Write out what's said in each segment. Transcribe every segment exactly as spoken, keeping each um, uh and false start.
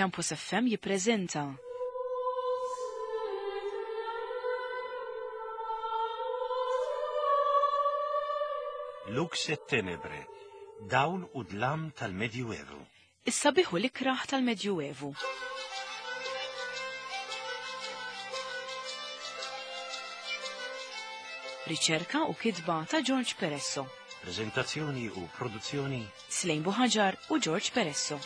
Campus F M jippreżenta Lux et Tenebre, dawl u dlam tal-Medjuevu. Is-sabiħ u l-ikraħ tal-Medjuevu. Riċerka u kitba ta' George Peresso. Prezentazzjoni u produzzjoni Slejn Buħaġar u George Peresso.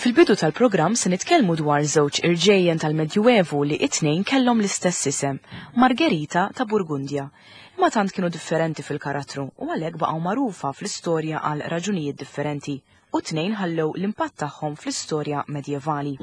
Fil-bidu tal-programm se nitkellmu dwar żewġ irġejjen tal-Medjuevu li it-tnejn kellhom l-istess isem, Margherita ta' Burgundja. Imma tant kienu differenti fil-karattru u għalhekk baqgħu magħrufa fl-istorja għal raġunijiet differenti u tnejn ħallew l-impatt tagħhom fl-istorja medjevali.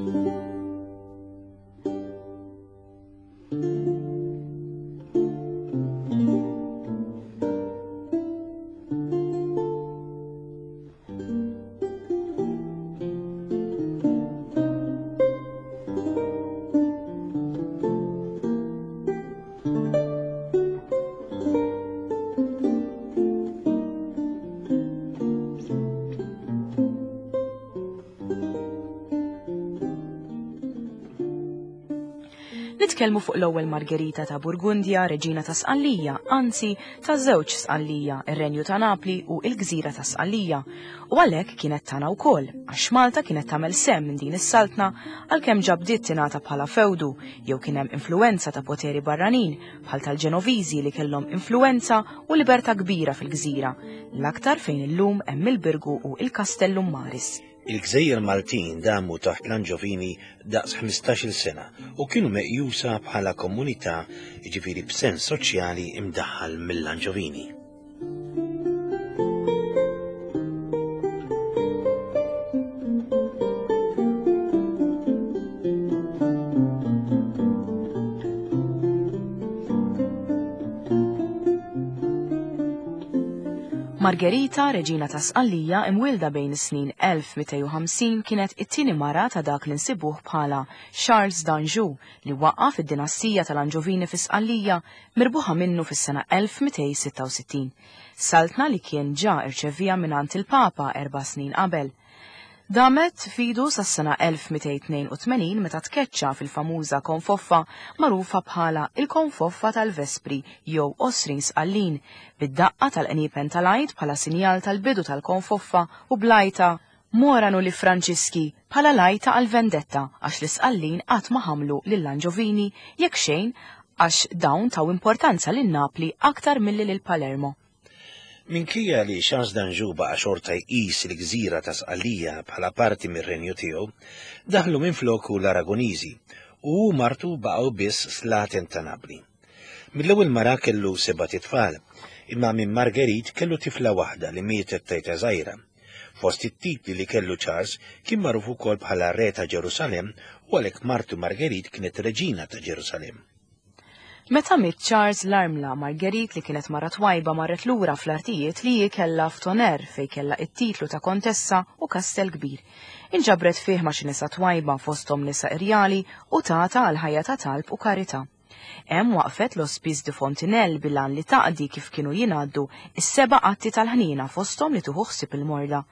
Nitkellmu fuq l-ewwel Margherita ta' Burgundja, reġina ta' Sqallija, anzi ta' żewġ Sqallija, ir-Renju ta' Napli u l-Gżira ta' Sqallija. U għalhekk kienet tagħna wkoll, għax Malta kienet tagħmel sehem minn din is-saltna għalkemm ġa bdiet tingħata bħala fewdu jew kien hemm influwenza ta' poteri barranin bħal tal-Ġenoviżi li kellhom influwenza u libertà kbira fil-gżira, l-aktar fejn illum hemm il-Birgu u il-Kastellum Maris. Il-Gżejjer Maltin damu taħt l-Anġovini daqs ħmistax-il sena u kienu meqjusa bħala komunità, jiġifieri b'sens soċjali imdaħħal mill-Anġovini. Margherita, reġina ta' Sqallija, imwielda bejn is-snin elf mitejn u ħamsin, kienet it-tieni mara ta' dak li nsibuh bħala Charles d'Anjou li waqqaf id-dinastija tal-Anġovini fi Sqallija mirbuħa minnu fis-sena elf mitejn sitta u sittin. Saltna li kien ġa irċevija mingħand il-Papa erba' snin qabel. Damet fidu sas-sena elf mitejn tnejn u tmenin meta tkeċċa fil-famuża konfoffa magħrufa bħala il-konfoffa tal-Vespri jew Għosrin Sqallin, bid-daqqa tal-qniepen tal-Għid bħala sinjal tal-bidu tal-konfoffa u blajta Moranu li Franċiski bħala lajta għal-vendetta għax l-Isqallin qatt ma ħamlu lill-Anġovini jekk xejn għax dawn taw importanza lil Napli aktar milli lil Palermo. Minkejja li Charles d'Anjou baqa' xorta jqis il-gżira ta' Sqallija bħala parti mir-renju tiegħu, daħlu minfloku l-Aragoniżi u hu martu baqgħu biss slaten ta' Napli. Mill-ewwel mara kellu seba' titfal, imma minn Marguerite kellu tifla waħda li mietet tejta żgħira. Fost it-titli li kellu Charles kien magħruf ukoll bħala re ta' Ġerusalemm u għalhekk martu Marguerite kienet reġina ta' Ġerusalemm. Meta miet Charles l-armla Marguerite li kienet mara twajba marret lura fl-artijiet li hi kellha f'Tonnerre fejn kellha it-titlu ta' kontessa u kastell kbir. Inġabret fih ma' xi nisa twajba fosthom nisa irjali u tata għal ħajja ta' talb u karità. Hemm waqfet l-Hospice de Fontenelle bil-għan li taqdi kif kienu jingħaddu is-seba' atti tal-ħnina fosthom li tuħu ħsieb il-morda.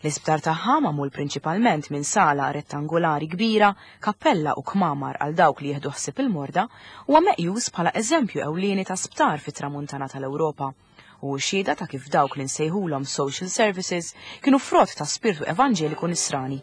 L-isptar tagħha magħmul prinċipalment minn sala rettangolari kbira, kappella u kmamar għal dawk li jieħdu ħsieb il-morda, huwa meqjus bħala eżempju ewlieni ta' sptar fit-tramuntana tal-Ewropa. U xhieda ta' kif dawk li nsejħulhom social services kienu frott ta' spirtu evanġeliku nisrani.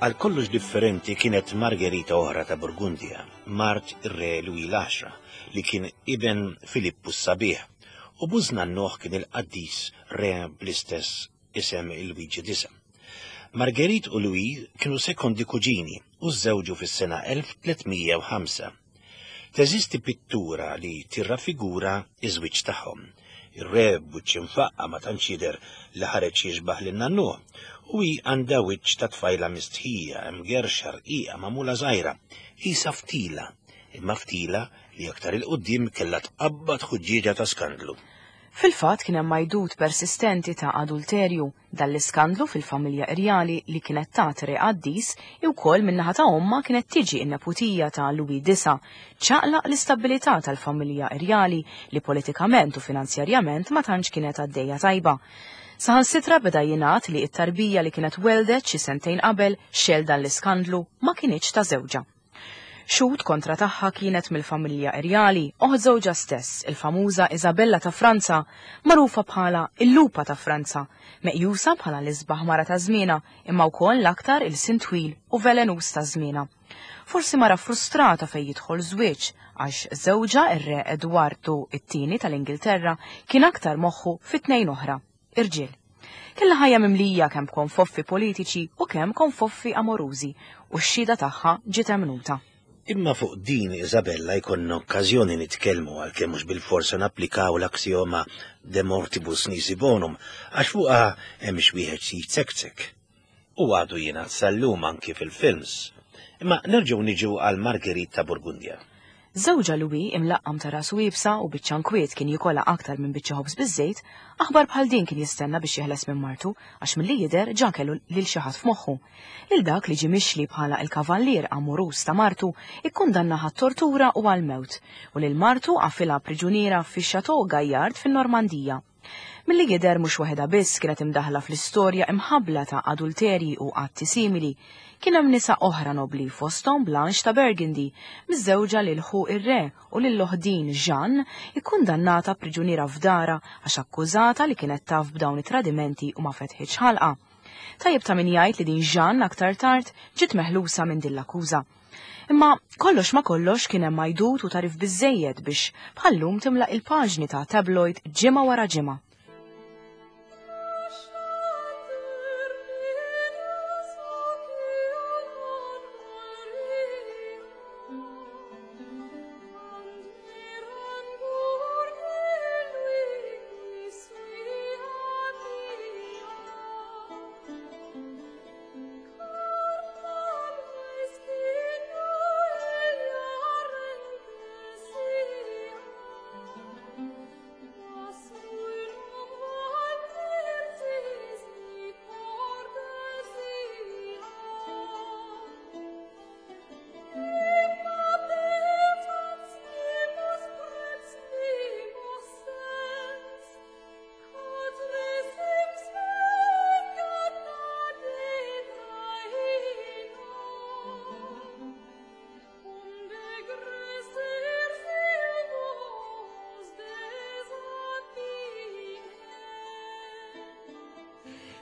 Għal kollox differenti kienet Margherita oħra ta' Burgundja, mart ir-re Louis l-Għaxra, li kien iben Filippu s-Sabiħ, u bużnannuh kien il-qaddis re bl-istess isem il-Luigi Disa. Marguerite u Louis kienu sekondi kuġini u żżewġu fis-sena elf tliet mija u ħamsa. Teżisti pittura li tirraffigura iż-żwieġ tagħhom. Ir-re b'wiċċ imfaqqa ma tantx jidher li ħareġ jixbaħ lil nannuh, u hi għandha wiċċ ta' tfajla mistħija, mgerxa rqiqa magħmula żgħira, qisha ftila, imma ftila li aktar il-qudiem kellha tqabbad ħuġġieġa ta' skandlu. Fil-fatt kien hemm għajdut persistenti ta' adulterju, dan l-iskandlu fil-familja irjali li kienet tat re qaddis i wkoll min-naħa ta' ommha kienet tiġi n-neputija ta' Louis disa, ċaqlaq l-istabilità tal-familja irjali li politikament u finanzjarjament ma tantx kienet għaddejja tajba. Saħansitra beda jingħad li t-tarbija li kienet weldet xi sentejn qabel xel dan l-iskandlu ma kinitx ta' żewġha. Xhud kontra tagħha kienet mill-familja irjali, oħ żewġha stess, il-famuża Isabella ta' Franza, magħrufa bħala il-lupa ta' Franza, meqjusa bħala l-isbaħ mara ta' żmienha, imma wkoll l-aktar il-sin twil u velenuż ta' żmienha. Forsi mara frustrata fejn jidħol żwieġ, għax żewġha ir-re Edwardu it-tieni tal-Ingilterra kien aktar moħħu fi tnejn oħra, irġiel. Kellha ħajja mimlija kemm konfoffi politiċi u kemm konfoffi amorużi, u x-xhieda tagħha ġiet emnuta. Imma fuq din Isabella jkollna okkażjoni nitkellmu għalkemm mhux bil-forsa napplikaw l-aksioma de mortibus nisi bonum, għax fuqha hemm xi wieħed xi jitsektsek. U għadu jingħad sal-lum anki fil-films. Imma nerġgħu niġu għal Margherita ta' Burgundja. Żewġha Louis imlaqqam ta' rasu iebsa u biċċa nkwiet kien jikola aktar minn biċċa ħobż biż-żejt, aħbar bħal din kien jistenna biex jeħles minn martu għax milli jidher ġa kellu lil xi ħadd f'moħħu. Lil dak li ġie mixli bħala il-kavallier amoruż ta' martu ikkundannaha għat-tortura u għall-mewt, u lil martu qafilha priġuniera fix-Chateau Gaillard fin-Normandija. Milli jidher mhux waħedha biss kienet imdaħla fl-istorja imħabbla ta' adulterji u atti simili, kien hemm nisa oħra nobli fosthom Blanche ta' Burgundy, miżżewġa lil ħu ir-re u lil oħdin Jeanne, ikkundannata priġuniera f'dara għax akkużata li kienet taf b'dawn it-tradimenti u ma fetħitx ħalqa. Tajjeb ta' min jgħid li din Jeanne aktar tard ġiet meħlusa minn din l-akkuża. Imma kollox ma kollox kien hemm għajdut u tarif biżżejjed biex bħallum timla il-paġni ta' tabloid ġimgħa wara ġimgħa.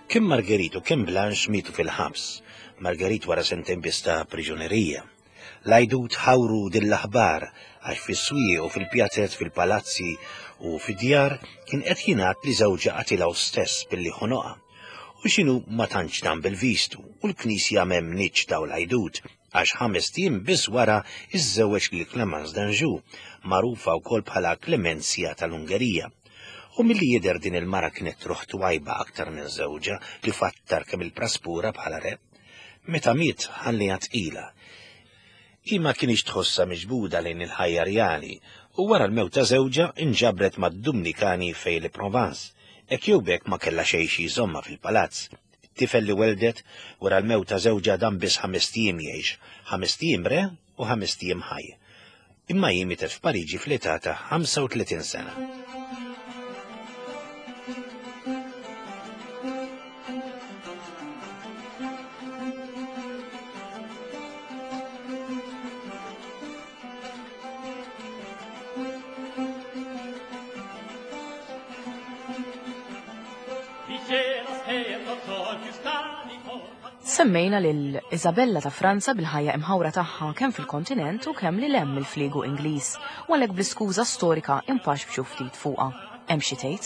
Kemm Marguerite u kemm Blanche mietu fil-ħabs, Marguerite wara sentejn biss ta' priġunerija. L-għajdut ħawru din l-aħbar għax fis-swieq u fil-pjazzet, fil-palazzi u fid-djar kien qed jingħad li żewġha qatilha stess billi ħonoqha. U x'inhu ma tantx dan bil-vistu u l-Knisja m'emmnitx daw l-għajdut għax ħames ijiem biss wara iżżewweġ lil Clemence d'Anjou, magħrufa wkoll bħala Clemenzja tal-Ungerija. U milli jidher din il-mara kienet truħ twajba aktar minn żewġha li fattar kemm il-praspura bħala re. Meta miet ħalliha tqila. Hi ma kienx tħossha miġbuda lejn il-ħajja rjali u wara l-mewt ta' żewġha inġabret mad-Dumnikani fejn il-Provence, hekk jew b'hekk ma kellha xejn xi jżommha fil-palazz. It-tifel li weldet wara l-mewt ta' żewġha dam biss ħames ijiem jgħix, ħames ijiem re u ħames ijiem ħaj. Imma hi mietet f'Pariġi fl-età ta' ħamsa u tletin sena. Semmejna lil Isabella ta' Franza bil-ħajja imħawra tagħha kemm fil-kontinent u kemm lil hemm mill-fliegu Ingliż, u għalhekk bl-iskuża storika impaxbxu ftit fuqha. Hemm xi tgħid?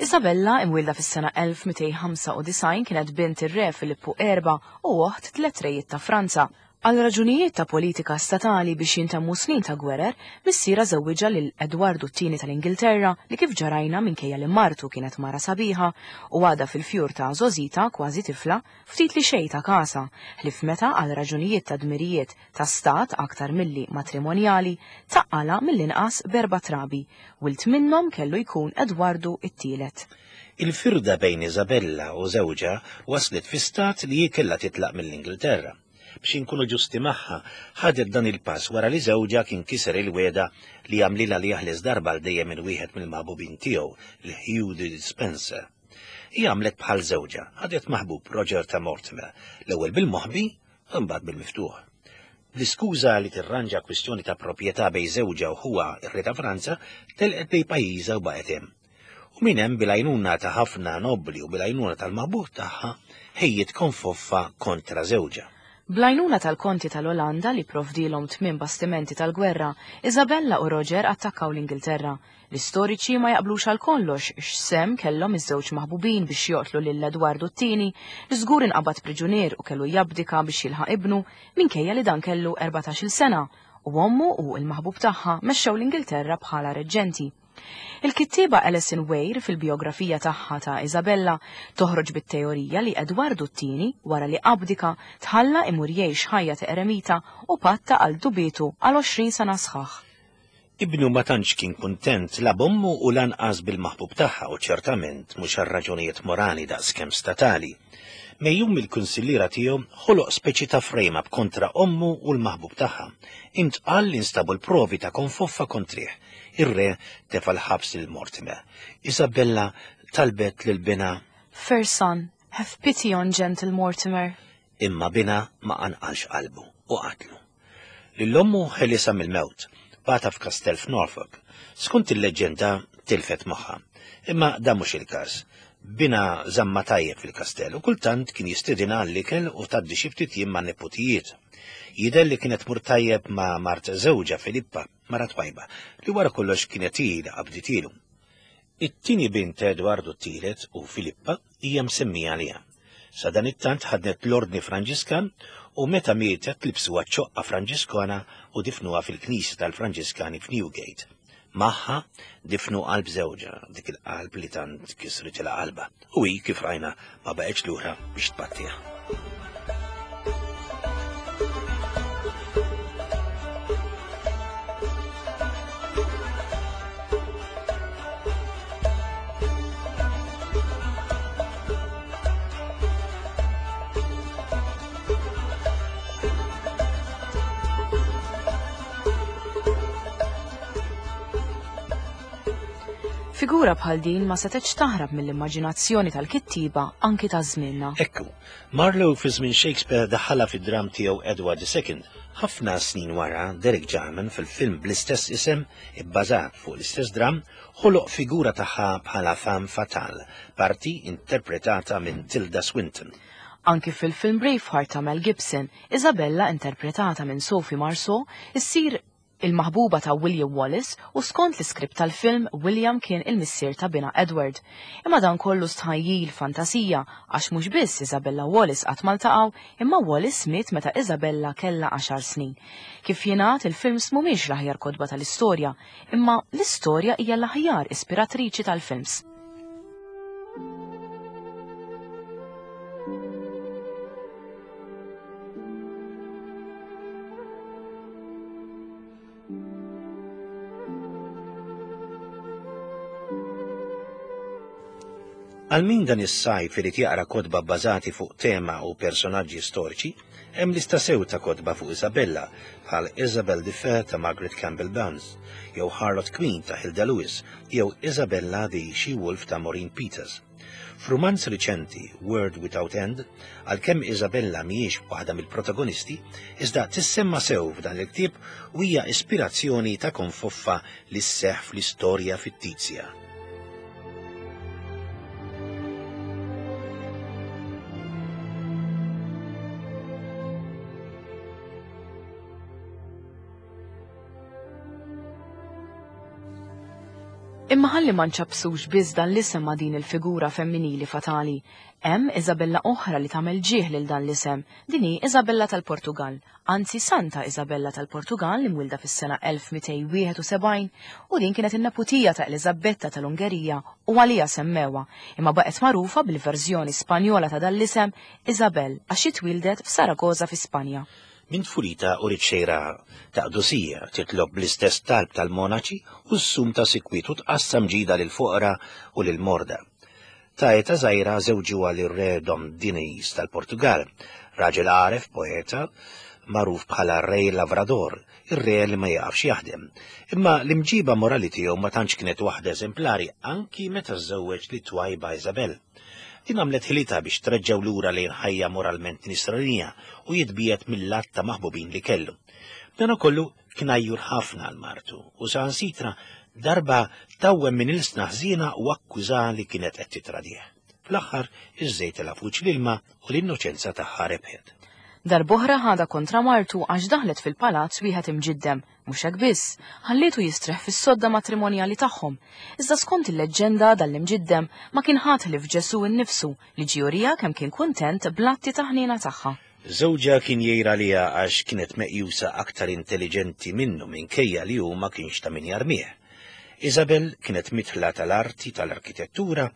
Isabella, imwielda fis-sena elf mitejn ħamsa u disgħin, kienet bint ir-re Filippu erba' u oħt tliet rejiet ta' Franza. Għal raġunijiet ta' politika statali biex jintemmu snin ta' gwerer, missiera żewwiġha lil Edwardu t-tieni tal-Ingilterra li kif ġarajna minkejja li martu kienet mara sabiħa u għadha fil-fjur ta' żożita kważi tifla, ftit li xejn ta' kasa, ħlief meta għal raġunijiet ta' dmirijiet ta' stat aktar milli matrimonjali taqqala mill-inqas b'erba' trabi, wild minnhom kellu jkun Edwardu t-tielet. Il-firda bejn Isabella u żewġha waslet fi stat li hi kellha titlaq mill-Ingilterra. Biex inkunu ġusti magħha, ħadet dan il-pass wara li żewġha kien kiser il-weda li għamlilha li jaħles darba għal dejjem minn wieħed mill-maħbubin tiegħu, il-Hugh de Spencer. Hi għamlet bħal żewġha, ħadet maħbub Roger ta' Mortimer, l-ewwel bil-moħbi u mbagħad bil-miftuħ. Bl-iskuża li tirranġa kwistjoni ta' proprjetà bejn żewġha u ħuha ir-re ta' Franza, telqet bejn pajjiżha u baqgħet hemm. U minn hemm bil-għajnuna ta' ħafna nobbli u bil-għajnuna tal-maħbub tagħha ħejjiet konfoffa kontra żewġha. Bl-għajnuna tal-konti tal-Olanda li provdilhom tmien bastimenti tal-gwerra, Isabella u Roger attakkaw l-Ingilterra. L-istoriċi ma jaqblux għal kollox x'sehem kellhom iż-żewġ maħbubin biex joqtlu lil Edwardu t-tieni li żgur inqabad priġunier u kellu jabdika biex jilħaq ibnu minkejja li dan kellu erbatax-il sena u ommu u l-maħbub tagħha mexxew l-Ingilterra bħala reġġenti. Il-kittieba Alison Weir fil-biografija tagħha ta' Isabella toħroġ bit-teorija li Edwardu t-tieni wara li abdika tħalla imur jgħix ħajja ta' eremita u patta għal dubietu għal għoxrin sena sħaħ. Ibnu ma tantx kien kuntent la b'ommu u lanqas bil-maħbub tagħha u ċertament mhux għal raġunijiet morali daqskemm statali. Mejjum mill-kunsilliera tiegħu ħoloq speċi ta' frame-up kontra ommu u l-maħbub tagħha. Intqal li nstabu l-provi ta' konfoffa kontrih. Ir-re tefa' l-ħabs lil Mortimer. Isabella talbet lil binha, Fair son, have pity on gentle Mortimer. Imma binha ma qanqalx qalbu u qatlu. Lil ommu ħelisha mill-mewt, bata f'kastell f'Norfolk. Skont il-leġġenda tilfet moħħha. Imma dan mhux il-każ. Binha żamma tajjeb fil-kastell u kultant kien jistedinha għall-ikel u tgħaddi xi ftit jiem ma' neputijiet. Jidher li kienet mur tajjeb ma' mart żewġha Filippa, mara twajba, li wara kollox kienet hi li qabditilu. It-tieni bint Edwardu t-tielet u Filippa hija msemmija għaliha. Sa dan it-tant ħadnet l-ordni Franġiskan u meta mietet libsuha ċoqqa Franġiskana u difnuha fil-knisja tal-Franġiskani f'Newgate. Magħha difnu qalb żewġha, dik il-qalb li tant kisritilha qalbha, u hi kif rajna ma baqgħetx lura biex tbattiha. Figura bħal din ma setgħetx taħrab mill-immaġinazzjoni tal-kittiba anki ta' żmienna. Ekku, Marlowe fi żmien Shakespeare daħħalha fid-dram tiegħu Edward the Second. Ħafna snin wara, Derek Jarman fil-film bl-istess isem, ibbażat fuq l-istess dram, ħoloq figura tagħha bħala femme fatale, parti interpretata minn Tilda Swinton. Anki fil-film Braveheart ta' Mel Gibson, Isabella interpretata minn Sophie Marceau issir il-maħbuba ta' William Wallace u skont l-iskript tal-film William kien il-missier ta' bina Edward. Imma dan kollu stħajjil fantasija għax mhux biss Isabella Wallace qatt ma ltaqgħu, imma Wallace miet meta Isabella kellha għaxar snin. Kif jingħad, il-films mhumiex l-aħjar kotba tal-istorja, imma l-istorja hija l-aħjar ispiratriċi tal-films. Għal min dan is-sajf irid jaqra kotba bbażati fuq tema u personaġġi storiċi, hemm lista sew ta' kotba fuq Isabella bħal Isabel the Fair ta' Margaret Campbell Burns, jew Harlot Queen ta' Hilda Lewis, jew Isabella the She-Wolf ta' Maureen Peters. F'rumanz riċenti, World Without End, għalkemm Isabella mhijiex waħda mill-protagonisti, iżda tissemma sew f'dan il-ktieb u hija ispirazzjoni ta' konfoffa li sseħħ fl-istorja fittizja. Imma ħalli ma nċappsux biss dan l-isem ma' din il-figura femminili fatali. Hemm Isabella oħra li tagħmel ġieħ lil dan l-isem. Din hi Isabella tal-Portugal, anzi Santa Isabella tal-Portugal li mwilda fis-sena elf mitejn wieħed u sebgħin u din kienet in-neputija ta' Eliżabetta tal-Ungerija u għalija semmewha, imma baqgħet magħrufa bil-verżjoni Spanjola ta' dan l-isem Isabel għax hi twildet f'Saragoza fi Spanja. Minn tfulita u xejra ta' qdusija titlob bl-istess talb tal-monaċi u s-sum ta' sikwit u tqassam ġida lil foqra u lil morda. Ta' eta żgħira żewġuha lir-re Dom Dinis tal-Portugal, raġel għaref poeta magħruf bħala Re Lavrador, ir-re li ma jafx jaħdem. Imma l-imġiba morali tiegħu ma tantx kienet waħda eżemplari anki meta żżewweġ li twajba Isabel. Din għamlet ħilitha biex treġġew lura lejn ħajja moralment nisranija u jitbiet mill-att ta' maħbubin li kellu. Dan ukollu kien għajjur ħafna għal martu u saħansitra darba tawwem minn ilsna ħżiena u akkuża li kienet qed titradih. Fl-aħħar iż-żejt telha fuq l-ilma u l-innoċenza tagħha rebħet. Darb'oħra ħadha kontra martu għax daħlet fil-palazz wieħed imġiddem, mhux hekk biss, ħallietu jistrieħ fis-sodda matrimonjali tagħhom. Iżda skont il-leġġenda dan l-imġiddem ma kien ħadd ħlief Ġesù nnifsu li ġie juriha kemm kien kuntent bl-atti ta' ħniena tagħha. Żewġha kien jgħir għaliha għax kienet meqjusa aktar intelligenti minnu minkejja li hu ma kienx ta' min jarmih. Isabel kienet mitħla tal-arti tal-arkitettura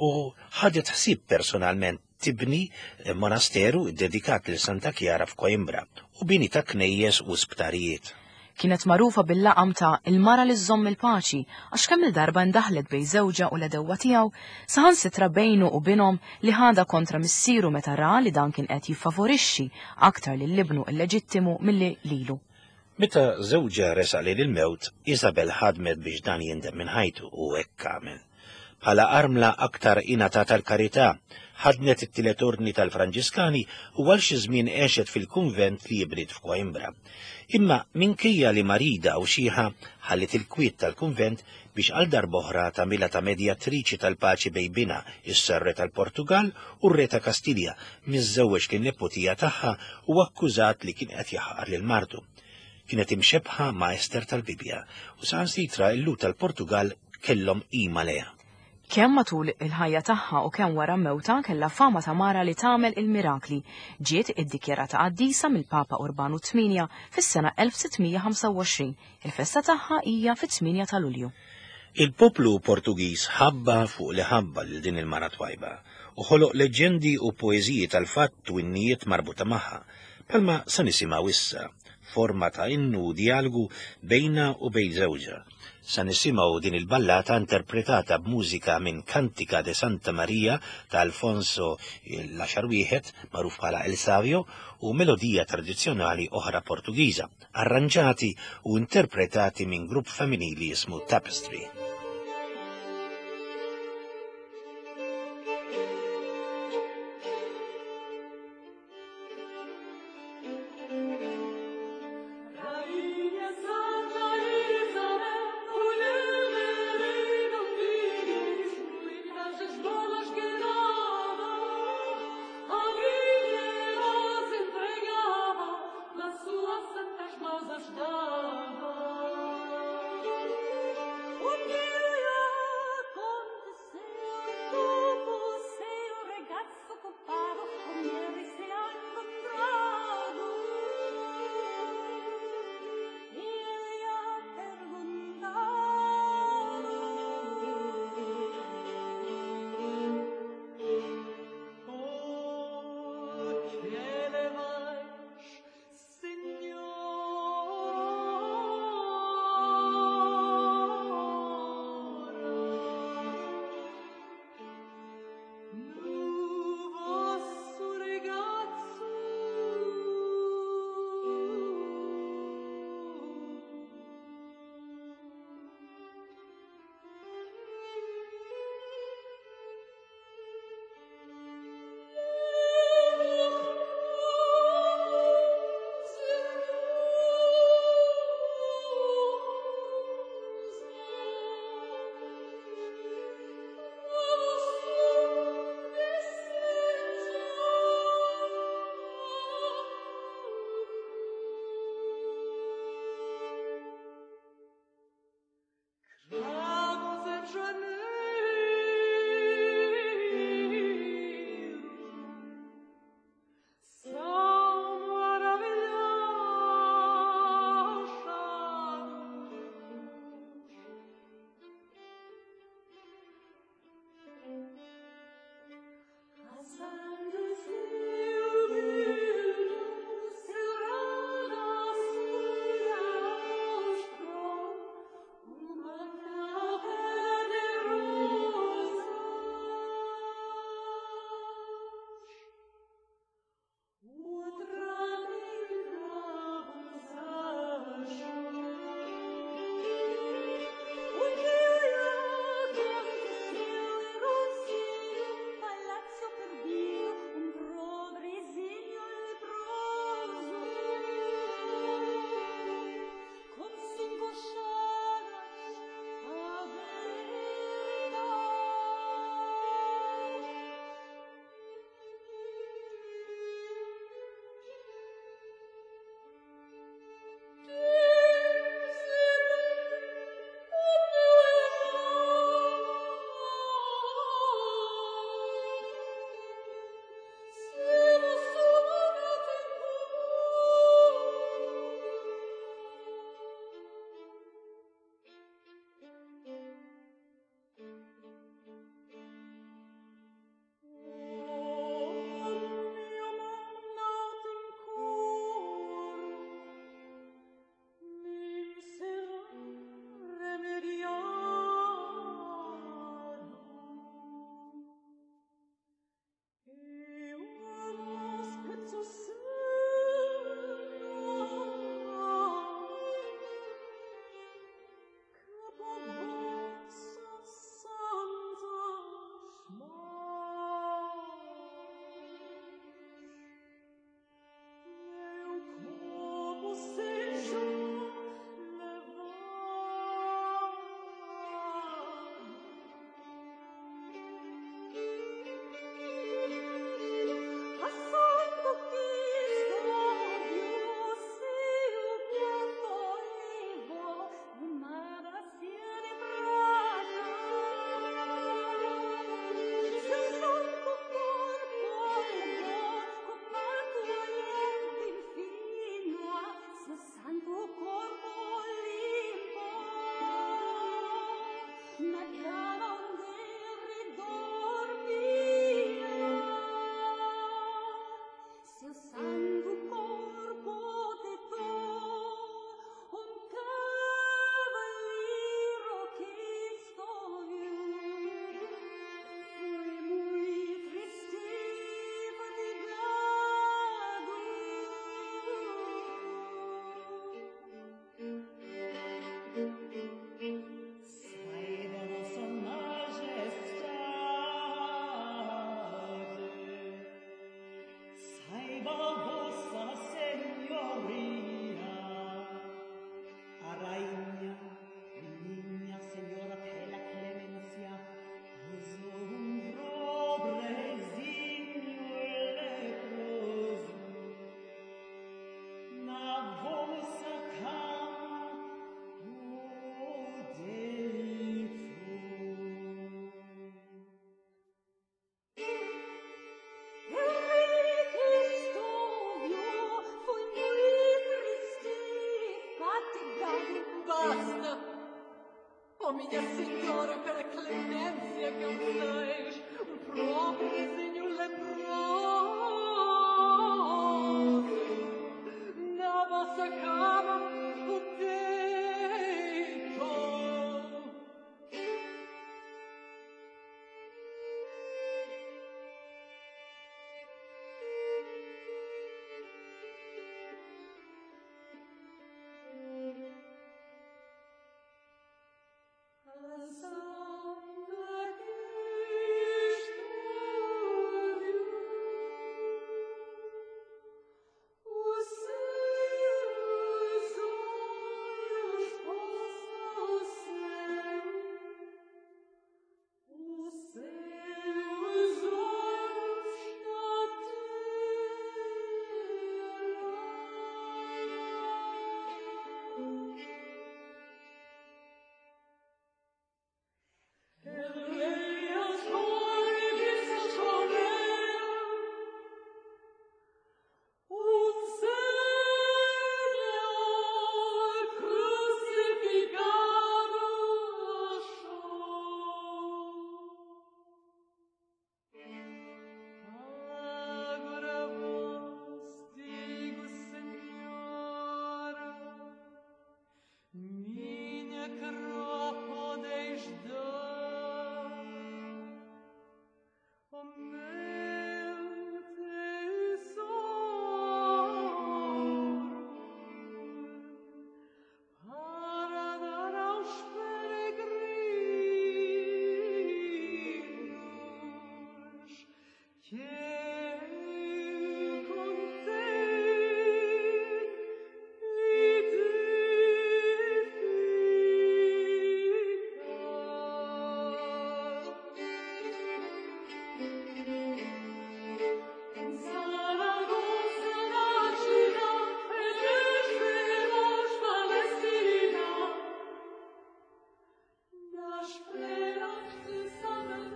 u ħadet ħsieb personalment tibni monasteru dedikat lil Santa Chiara f'Coimbra u bini ta' knejjes u sptarijiet. Kienet magħrufa bil-laqam ta' il-mara li żżomm il-paċi għax kemm il-darba ndaħlet bejn żewġha u l-edewwa tiegħu, saħansitra bejnu u binhom li ħadha kontra missieru meta ra li dan kien qed jiffavorixxi aktar lil ibnu illeġittimu milli lilu. Meta żewġha resaq lejn il-mewt, Isabel ħadmet biex dan jindem minn ħajtu u hekk għamel. Bħala armla aktar ingħatat tal-karità, ħadnet it-tielet ordni tal-Franġiskani u għal xi żmien għexet fil-kunvent li jibrid f'Coimbra. Imma minkejja li marida u xieħa ħallit il-kwiet tal-kunvent biex għal darb'oħra tagħmilha ta' medjatriċi tal-paċi bejn binha is-Re tal-Portugal u r-Re ta' Kastilja, miżżewweġ lin-neputija tagħha u akkużat li kien qed jaħqar lil martu. Kienet imxebħa ma' Ester tal-Bibja u saħansitra l-Lhud tal-Portugal kellhom qima lejha. Kemm matul il-ħajja tagħha u kemm wara mewta kellha fama ta' mara li tagħmel il-mirakli, ġiet iddikjarata qaddisa mill-Papa Urbanu tmienja fis-sena elf sittmija ħamsa u għoxrin. Il-festa tagħha hija fit-tmienja ta' Lulju. Il-poplu Portugiż ħabba fuq li ħabba lil din il-mara twajba u ħoloq leġendi u poeżiji tal-fatt u innijiet marbuta magħha, bħalma sa nisimgħu issa, forma ta' innu u dialogu bejna u bejn żewġha. Sa nisimgħu din il-ballata interpretata b'mużika minn Cantica de Santa Maria ta' Alfonso l-għaxar wieħed, magħruf bħala El Savio, u melodija tradizzjonali oħra Portugiża, arranġati u interpretati minn grupp femminili jismu Tapestry. Dava.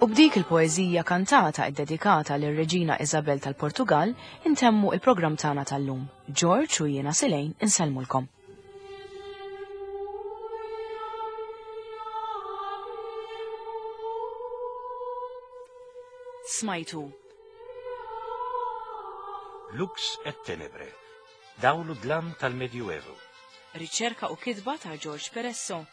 U b'dik il-poeżija kantata ddedikata lir-Reġina Isabel tal-Portugal intemmu il-programm tagħna tal-lum. George u jiena Silejn insellmulkom. Smajtu Lux et Tenebre, dawlu dlam tal-Medjuevu. Riċerka u kitba ta' George Peresso.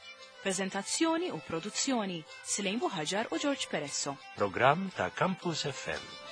Prezentazzjoni u produzzjoni Silejn Buħaġar u George Peresso. Programm ta' Campus F M.